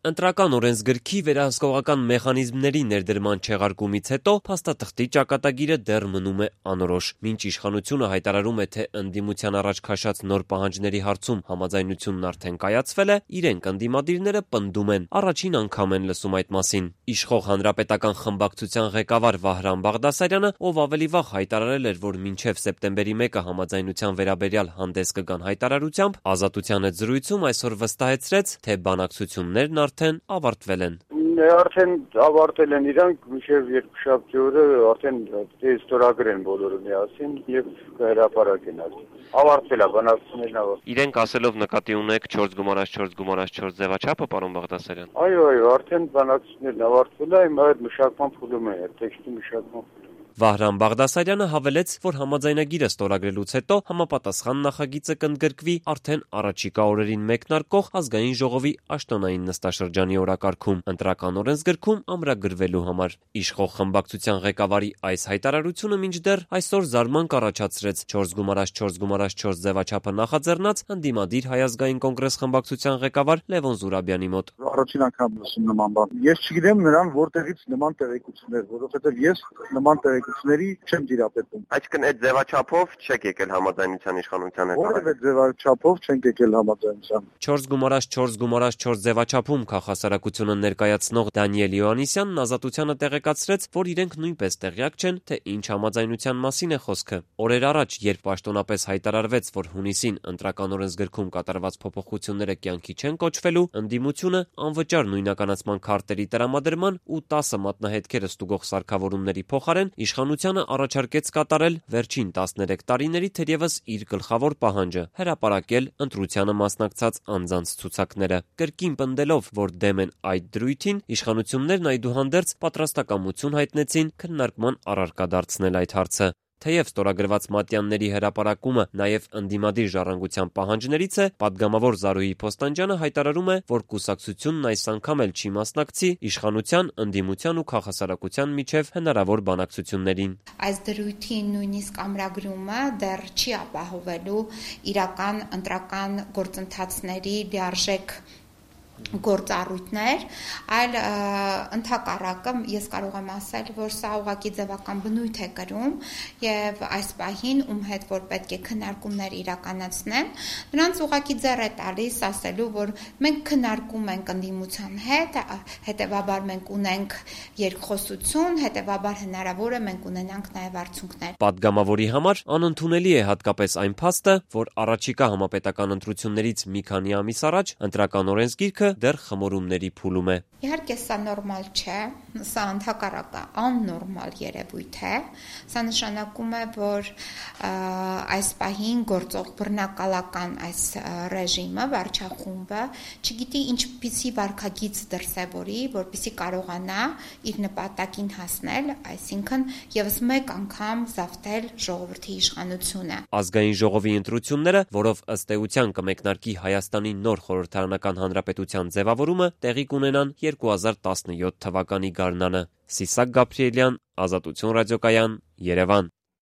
Ընտրական օրենսգրքի վերահսկողական մեխանիզմների ներդրման չեղարկումից հետո փաստաթղթի ճակատագիրը դեռ մնում է անորոշ։ Մինչ իշխանությունը հայտարարում է, թե ընդդիմության առաջ քաշած նոր պահանջների հարցում համաձայնությունն արդեն կայացվել է, իրենք ընդդիմադիրները պնդում են, առաջին անգամ են լսում այդ մասին։ Իշխող Հանրապետական խմբակցության ղեկավար Վահրամ Բաղդասարյանը, ով ավելի վաղ հայտարարել էր, որ մինչև սեպտեմբերի 1-ը համաձայնության վերաբերյալ հանդես կգան հայտարարությամբ, Ազատության հետ զրույցում այսօր վստահեցրեց, թե բանակցություններն արդեն ավարտվել են։ Արդեն ավարտել են իրանք, մինչև երկուշաբթի օրը արդեն ստորագրեն բոլորը միասին եւ հրապարակեն արդեն։ Ավարտվել է բանակցություններն ավարտվել։ Իրենք ասելով նկատի ունեք 4+4+4 ձևաչափը, պարոն Բաղդասարյան։ Այո, արդեն բանակցություններն ավարտվել է, հիմա այդ մշակման փուլում է, տեքստի մշակման։ Վահրամ Բաղդասարյանը հավելեց, որ համաձայնագիրը ստորագրելուց հետո համապատասխան նախագիծը կընդգրկվի արդեն առաջիկա օրերին մեկնարկող ազգային ժողովի աշտոնային նստաշրջանի օրակարգում, ընտրական օրենսգրքում ամրագրվելու համար։ Իշխող խմբակցության ղեկավարի այս հայտարարությունը մինչդեռ այսօր զարմանք առաջացրեց 4+4+4 ձևաչափը նախաձեռնած ընդդիմադիր Հայ ազգային կոնգրես խմբակցության ղեկավար Լևոն Զուրաբյանի մոտ։ Առաջին անգամ լսում նման բան։ Ես չգիտեմ նրան որտեղից նման տեղեկություններ, որովհետև ես նման տեղեկությունների չեմ դիրապետում։ Այսինքն այդ ձևաչափով չեք եկել համաձայնության իշխանության հետ։ Որևէ ձևաչափով չենք եկել համաձայնության։ 4+4+4 ձևաչափում քաղաքասարակությունը ներկայացնող Դանիել Յոհաննիսյանն Ազատությանը տեղեկացրեց, որ իրենք նույնպես տեղյակ չեն, թե ինչ համաձայնության մասին է խոսքը։ Օրեր առաջ, երբ պաշտոնապես հայտարարվեց, որ հունիսին ընտրական օրենսգրքում կատարված փոփոխությունները կյանքի չեն կոչվելու, ընդդիմությունը անվճար նույնականացման քարտերի տրամադրման ու 10 մատնահետքերը ստուգող սարքավորումների փոխարեն իշխանությանը առաջարկեց կատարել վերջին 13 տարիների թերևս իր գլխավոր պահանջը՝ հրապարակել ընտրությանը մասնակցած անձանց ցուցակները։ Կրկին պնդելով, որ դեմ են այդ դրույթին, իշխանություններն այդուհանդերձ պատրաստակամություն հայտնեցին քննարկման առարկա դարձնել այդ հարցը։ Թեև ստորագրված մատյանների հրապարակումը նաև ընդդիմադիր ժառանգության պահանջներից է, պատգամավոր Զարուհի Փոստանջյանը հայտարարում է, որ կուսակցությունն այս անգամ էլ չի մասնակցի իշխանության, ընդդիմության ու քաղաքասարակության միջև հնարավոր բանակցություններին։ Այս դրույթի նույնիսկ ամրագրումը դեռ չի ապահովելու իրական ընտրական գործընթացների լիարժեք գործառույթներ, այլ ընդհակառակը ես կարող եմ ասել, որ սա ուղղակի ձևական բնույթ է կրում եւ այս պահին ում հետ որ պետք է քննարկումներ իրականացնեն, նրանց ուղղակի ձեռ է տալիս ասելու, որ մենք քննարկում ենք ընդդիմության հետ, հետեւաբար մենք ունենք երկխոսություն, հետեւաբար հնարավոր է մենք ունենանք նաեւ արդյունքներ։ Պատգամավորի համար անընդունելի է հատկապես այն փաստը, որ առաջիկա համապետական ընտրություններից մի քանի ամիս առաջ ընտրական օրենսգիրքը դեռ խմորումների փուլում է։ Իհարկե սա նորմալ չէ, սա ընդհակառակը աննորմալ երևույթ է։ Սա նշանակում է, որ այս պահին գործող բռնակալական այս ռեժիմը, վարչախումբը չգիտի ինչպիսի վարքագիծ դրսևորի, որպեսզի կարողանա իր նպատակին հասնել, այսինքն եւս մեկ անգամ զավթել ժողովրդի իշխանությունը։ Ազգային ժողովի ընտրությունները, որով ըստ էության կմեկնարկի Հայաստանի նոր խորհրդարանական հանրապետության ձևավորումը, տեղի կունենան 2017 թվականի գարնանը։ Սիսակ Գաբրիելյան, Ազատություն ռադիոկայան, Երևան։